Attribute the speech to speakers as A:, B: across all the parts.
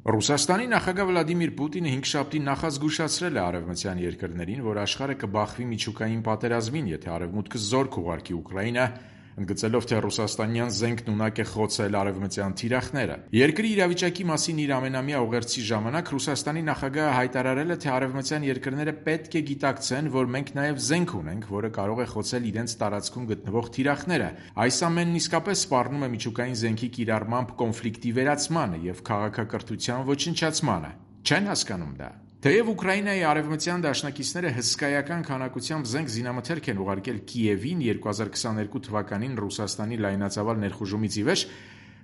A: Ռուսաստանի նախագահ Վլադիմիր Պուտինը հինգշաբթի նախազգուշացրել է արևմտյան երկրներին, որ աշխարհը կբախվի միջուկային պատերազմին, եթե Արևմուտքը զորք ուղարկի Ուկրաինա, ընդգծելով, թե ռուսաստանյան զենքն ունակ է խոցել արևմտյան թիրախները։ Երկրի իրավիճակի մասին իր ամենամյա ուղերձի ժամանակ Ռուսաստանի նախագահը հայտարարել է, թե արևմտյան երկրները պետք է գիտակցեն, որ մենք նաև զենք ունենք, որը կարող է խոցել իրենց տարածքում գտնվող թիրախները։ Այս ամենն իսկապես սպառնում է միջուկային զենքի կիրառմամբ կոնֆլիկտի վերացմանը և քաղաքակրթության ոչնչացմանը։ Չեն հասկանում դա։ Թեև Ուկրաինայի արևմտյան դաշնակիցները հսկայական քանակությամբ զենք զինամթերք են ուղարկել Կիևին 2022 թվականին Ռուսաստանի լայնածավալ ներխուժումից ի վեր,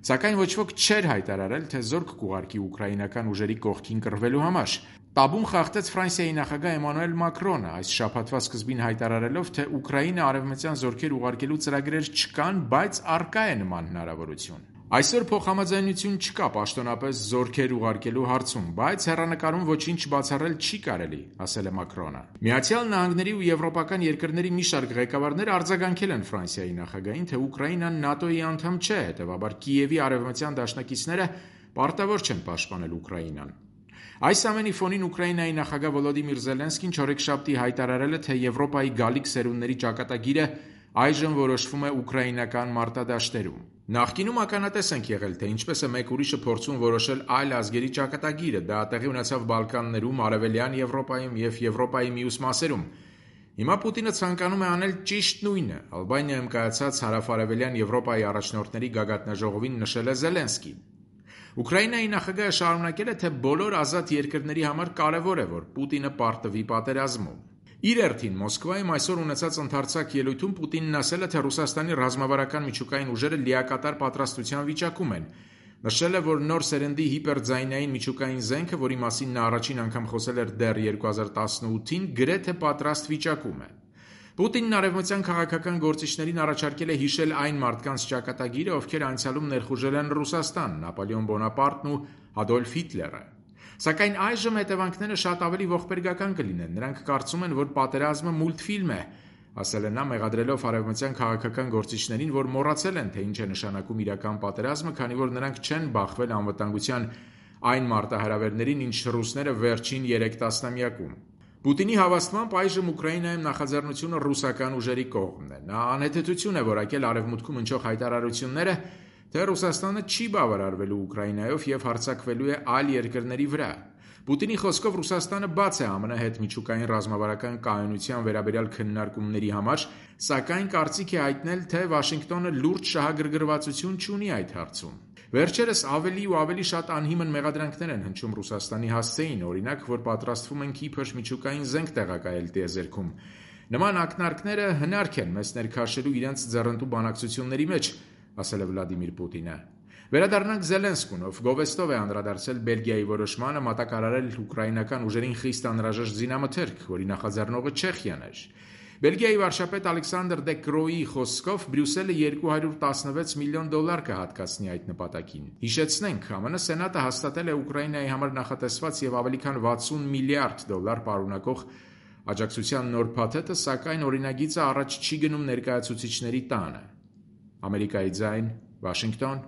A: սակայն ոչ ոք չէր հայտարարել, թե զորք կուղարկի ուկրաինական ուժերի կողքին կռվելու համար։ Տաբուն խախտեց Ֆրանսիայի նախագահ Էմանուել Մակրոնը, այս շաբաթվա սկզբին հայտարարելով, թե Ուկրաինա արևմտյան զորքեր ուղարկելու ծրագրեր չկան, բայց առկա է նման հնարավորություն։ Այսօր փոխհամաձայնություն չկա պաշտոնապես զորքեր ուղարկելու հարցում, բայց հեռանկարում ոչինչ բացառել չի կարելի, ասել է Մակրոնը։ Միացյալ Նահանգների ու եվրոպական երկրների մի շարք ղեկավարներ արձագանքել են Ֆրանսիայի նախագահին, թե Ուկրաինան ՆԱՏՕ-ի անդամ չէ, հետևաբար Կիևի արևմտյան դաշնակիցները պարտավոր չեն պաշտպանել Ուկրաինան։ Այս ամենի ֆոնին Ուկրաինայի նախագահ Վոլոդիմիր Զելենսկին չորեքշաբթի հայտարարել է, թե Եվրոպայի գալիք սերունդների ճակատագիրը այժմ որոշվում է ուկրաինական մարտադաշտերում։ Նախկինում ականատես ենք եղել, թե ինչպես է մեկ ուրիշը փորձում որոշել այլ ազգերի ճակատագիրը, դա տեղի ունեցավ Բալկաններում, Արևելյան Եվրոպայում և Եվրոպայի մյուս մասերում։ Հիմա Պուտինը ցանկանում է անել ճիշտ նույնը, Ալբանիայում կայացած հարավարևելյան Եվրոպայի առաջնորդների գագաթնաժողովին նշել է Զելենսկին։ Ուկրաինայի նախագահը շարունակել է, թե բոլոր ազատ երկրների համար կարևոր է, որ Պուտինը պարտվի պատերազմում։ Իր հերթին Մոսկվայում այսօր ունեցած ընդարձակ ելույթում Պուտինն ասել է, թե Ռուսաստանի ռազմավարական միջուկային ուժերը լիակատար պատրաստության վիճակում են։ Նշել է, որ նոր սերնդի հիպերձայնային միջուկային զենքը, որի մասին նա առաջին անգամ խոսել էր դեռ 2018-ին, գրեթե պատրաստ վիճակում է։ Պուտինն արևմտյան քաղաքական գործիչներին առաջարկել է հիշել այն մարդկանց ճակատագիրը, ովքեր անցյալում ներխուժել են Ռուսաստան, Նապոլեոն Բոնապարտն ու Ադոլֆ Հիտլերը։ Սակայն այժմ հետևանքները շատ ավելի ողբերգական կլինեն։ Նրանք կարծում են, որ պատերազմը մուլտֆիլմ է, ասել է նա, մեղադրելով արևմտյան քաղաքական գործիչներին, որ մոռացել են, թե ինչ է նշանակում իրական պատերազմը, քանի որ նրանք չեն բախվել անվտանգության այն մարտահրավերներին, ինչ ռուսները վերջին 3 տասնամյակում։ Պուտինի հավաստմամբ այժմ Ուկրաինայում նախաձեռնությունը ռուսական ուժերի կողմն է։ Նա անհեթեթություն է որակել արևմուտքում հնչող հայտարարությունները, թե Ռուսաստանը չի բավարարվելու Ուկրաինայով և հարձակվելու է այլ երկրների վրա։ Պուտինի խոսքով Ռուսաստանը բաց է ԱՄՆ հետ միջուկային ռազմավարական կայունության վերաբերյալ քննարկումների համար, սակայն կարծիք է հայտնել, թե Վաշինգտոնը լուրջ շահագրգռվածություն չունի այդ հարցում։ Վերջերս ավելի ու ավելի շատ անհիմն մեղադրանքներ են հնչում Ռուսաստանի հասցեին, օրինակ, որ պատրաստվում են իբր միջուկային զենք տեղակայել տիեզերքում։ Նման ակնարկները հնարք են մեզ ներքաշելու իրենց ձեռնտու բանակցությունների մեջ, ասել է Վլադիմիր Պուտինը։ Վերադառնանք Զելենսկուն, ով գովեստով է անդրադարձել Բելգիայի որոշմանը մատակարարել ուկրաինական ուժերին խիստ անհրաժեշտ զինամթերք, որի նախաձեռնողը Չեխիան էր։ Բելգիայի վարչապետ Ալեքսանդր դե Կրոյի խոսքով Բրյուսելը $216 միլիոն կհատկացնի այդ նպատակին։ Հիշեցնենք, ԱՄՆ Սենատը հաստատել է Ուկրաինայի համար նախատեսված և ավելի քան $60 միլիարդ պարունակող աջակցության նոր փաթեթը, սակայն օրինագիծը առաջ չի գնում ներկայացուցիչների տանը։ Ամերիկայի ձայն, Վաշինգտոն,